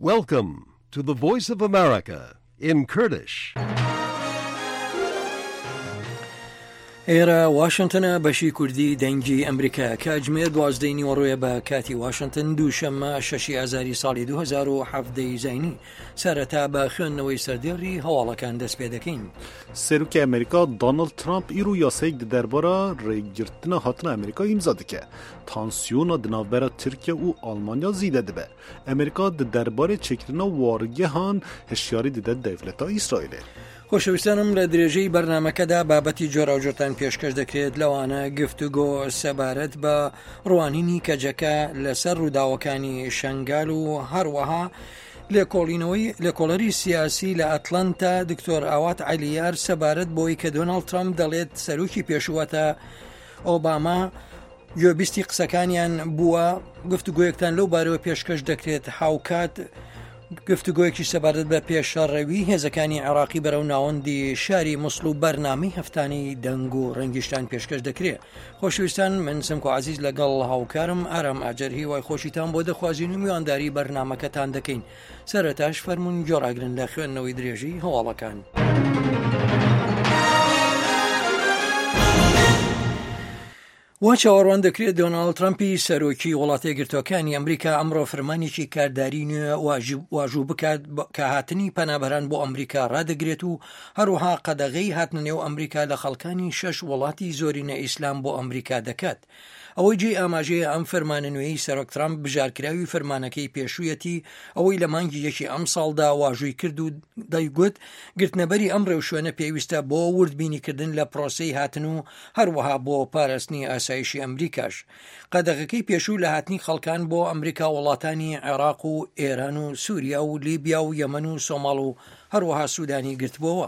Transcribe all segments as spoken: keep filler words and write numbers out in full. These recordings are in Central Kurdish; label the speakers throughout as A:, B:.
A: Welcome to the Voice of America in Kurdish.
B: ئێرە واشنتنە بەشی کوردی دەنگی ئەمریکا کاتژمێر دوازدەی نیوەڕۆیە بە کاتی واشنتن دووشەممە شەشی ئازاری ساڵی دوو هەزار و حەڤدە ی زاینی. سەرەتا بە خوێندنەوەی سەردێڕی هەواڵەکان دەست پێ دەکەین.
C: سەرۆکی ئەمریکا دانڵد ترامپ ئیرۆ یاسایەک di derbara rêgirtina hatina Amerîka îmza dike. Tansiyona di navbera Tirkiye û Almanya zêde dibe. Amerîka di derbarê çêkirina wargehan hişyarî dide dewleta Îsraîlê.
B: خۆشەویستانم لە درێژەی بەرنامەکەدا بابەتی جۆراوجۆرتان پێشکەش دەکرێت، لەوانە گفتوگۆ سەبارەت بە ڕوانینی کەجەکە لەسەر ڕووداوەکانی شەنگال و هەروەها لێکۆڵینەوەی لێکۆڵەری سیاسی لە ئەتلەنتا دکتۆر ئاوات عەلیار سەبارەت بۆی کە دۆناڵد ترامپ دەڵێت سەرۆکی پێشووەتە ئۆباما گوێبیستی قسەکانیان بووە. گفتوگۆیەکتان لەو بارەوە پێشکەش دەکرێت. هاوکات گفتوگۆیەکی سەبارەت بە پێشەڕەوی هێزەکانی عێراقی بەرەو ناوەندی شاری موسڵ و بەرنامەی هەفتانی دەنگ و ڕەنگیشتان پێشکەش دەکرێت. خۆشەویستان، من سمکۆ عەزیز لەگەڵ هاوکارم ئارام ئاجەر هیوای خۆشیتان بۆ دەخوازین و میوانداری بەرنامەکەتان دەکەین. سەرەتاش فەرمونون گۆڕاگرن لە خوێندنەوەی درێژی هەواڵەکان. وا چاوەڕوان دەکرێت دۆناڵد ترەمپی سەرۆکی وڵاتە یەکگرتووەکانی ئەمریکا ئەمڕۆ فرمانێکی کارداری نوێ واژوو بکات کە هاتنی پەنابەران بۆ ئەمریکا ڕادەگرێت و هەروەها قەدەغەی هاتنە نێو ئەمریکا لە خەڵکانی شەش وڵاتی زۆرینە ئیسلام بۆ ئەمریکا دەکات. ئەوەی جێی ئاماژەیە ئەم فەرمانە نوێی سەرۆک ترامپ بژارکراوی فەرمانەکەی پێشوویەتی، ئەوەی لە مانگی یەکی ئەمساڵدا واژووی کرد و دەیگوت گرتنەبەری ئەم ڕێوشوێنە پێویستە بۆ وردبینیکردن لە پرۆسەی هاتن و هەروەها بۆ پاراستنی ئاسایشی ئەمریکاش. قەدەغەکەی پێشوو لە هاتنی خەڵکان بۆ ئەمریکا وڵاتانی عێراق و ئێران و سووریا و لیبیا و یەمەن و سۆماڵ و هەروەها سوودانی گرتبووەوە.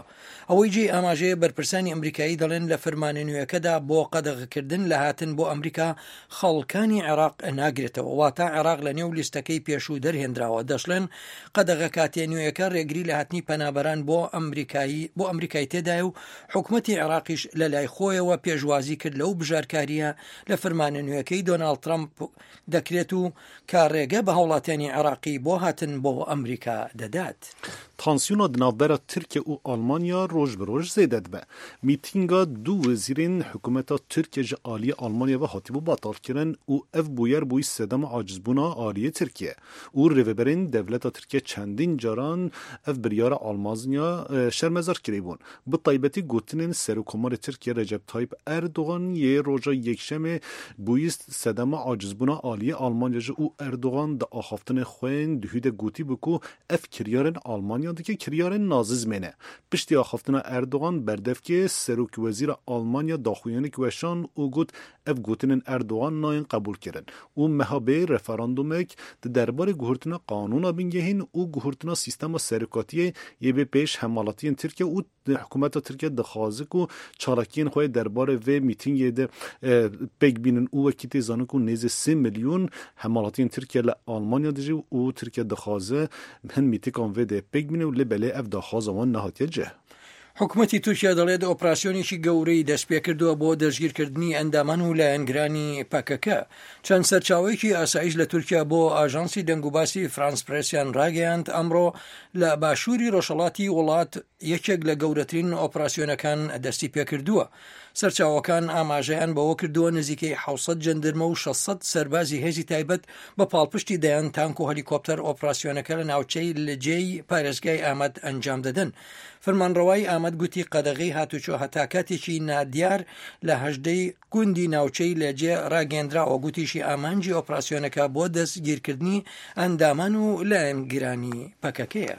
B: ئەوەی جێی ئاماژەیە بەرپرسانی ئەمریکایی دەڵێن لە فەرمانە نوێیەکەدا بۆ قەدەغەکردن لە هاتن بۆ ئەمریکا خەڵکانی عێراق ناگرێتەوە، واتە عێراق لە نێو لیستەکەی پێشوو دەرهێنراوە. دەشڵێن قەدەغە کاتێ نوێیەکە ڕێگری لە هاتنی پەنابەران بۆ ئەمریکایی بۆ ئەمریکای تێدایە و حکومەتی عێراقیش لە لای خۆیەوە پێشوازی کرد لەو بژارکاریە لە فەرمانە نوێیەکەی دۆناڵد ترەمپ دەکرێت و کە ڕێگە بە هاوڵاتیانی عێراقی بۆ هاتن بۆ ئەمریکا دەدات.
C: تانسیۆنا di navbera Tirkiye û Almanya roj bi roj zêde dibe. Mîtînga du wezîrên hikûmeta Tirkiye ji aliyê Almanya ve hatibû betalkirin û ev bûyer bûyî sedema acizbûna aliyê Tirkiye û rêveberên dewleta Tirkiye çendîn caran ev biryara Almanya şermezar kiribûn. Bi taybetî gotinên Serokkomarê Tirkiye Recep Tayyip Erdogan yê roja yekşemê bûyî sedema acizbûna aliyê Almanya ji û Erdogan di axaftinê xwe yên duhî de gotî bû ku ev kiryarên Almanya dike kiryarên nazizmê ne. Piştî axaftina Erdogan berdevkê Serokwezîra Almanya daxuyanî weşand û got ev gotinên Erdogan nayên qebûlkirin û meha bê referandumek di derbarê guhertina qanûna bingehîn û guhertina sîstema serokatiyê yê bê pêş hemwelatiyên Tirkiye û hikûmeta Tirkiye dixwaze ku çalakiyên xwe derbarê vê mîtîngê de pêk bînin û wekî tê zanin ku nêzî sê milyon hemwelatiyên Tirkiye li Almanya dijî û Tirkiye dixwaze hin mîtîkan vê de pêk bîne û lê belê ev daxwaza wan nehatiye cih.
B: حکومەتی تورکیا دەڵێت ئۆپراسیۆنێکی گەورەی دەستپێکردووە بۆ دەستگیرکردنی ئەندامان و لایەنگرانی پەکەکە. چەند سەرچاوەیەکی ئاسایش لە تورکیا بۆ ئاژانسی دەنگوباسی فرانس پرێسیان ڕاگەیاند ئەمڕۆ لە باشووری ڕۆژهەڵاتی وڵات یەکێک لە گەورەترین ئۆپراسیۆنەکان دەستی پێکردووە. سەرچاوەکان ئاماژەیان بەوە کردووە نزیکەی حەوت سەد جەندرمە و شەش سەد سەربازی هێزی تایبەت بە پاڵپشتی دەیان تانک و هەلیکۆپتەر ئۆپراسیۆنەکە لە ناوچەی لجێی پارێزگای ئامەد ئەنجام دەدەن. فەرمانڕەوای ئامەد گوتی قەدەغەی هاتوچۆ هەتا کاتێکی نادیار لە هەژدەی گوندی ناوچەی لەجێ ڕاگەندراوە. گوتیشی ئامانجی ئۆپراسیۆنەکە بۆ دەستگیرکردنی ئەندامان و لایەنگرانی پەکەکەیە.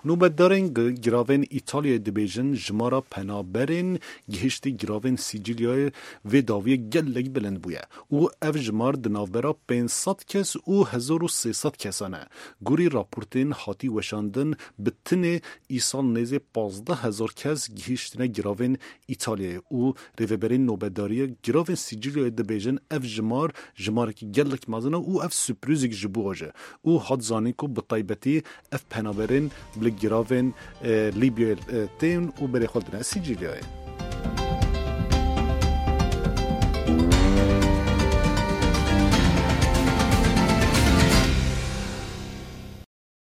C: نوبەتدارên giravên Îtalyayê dibêjin jimara penaberên gihiştî giravên Sîcîlyayê vê dawiyê gelek bilind bûye û ev jimar di navbera pênc sed kes û hezar û sê sed kesan e. Gorî raportên hatî weşandin bi tinê îsal nêzê pazdeh hezar kes gihiştine giravên Îtalyayê û rêveberên nobedariya giravên Sîcîlyayê dibêjin ev jimar jimarekî gelek mezin e û ev sürprîzek ji bo je û hat zanîn ku bi taybetî ev penaberên li giravên Lîbyayê tên û berê xwe didine Sîcîlyayê.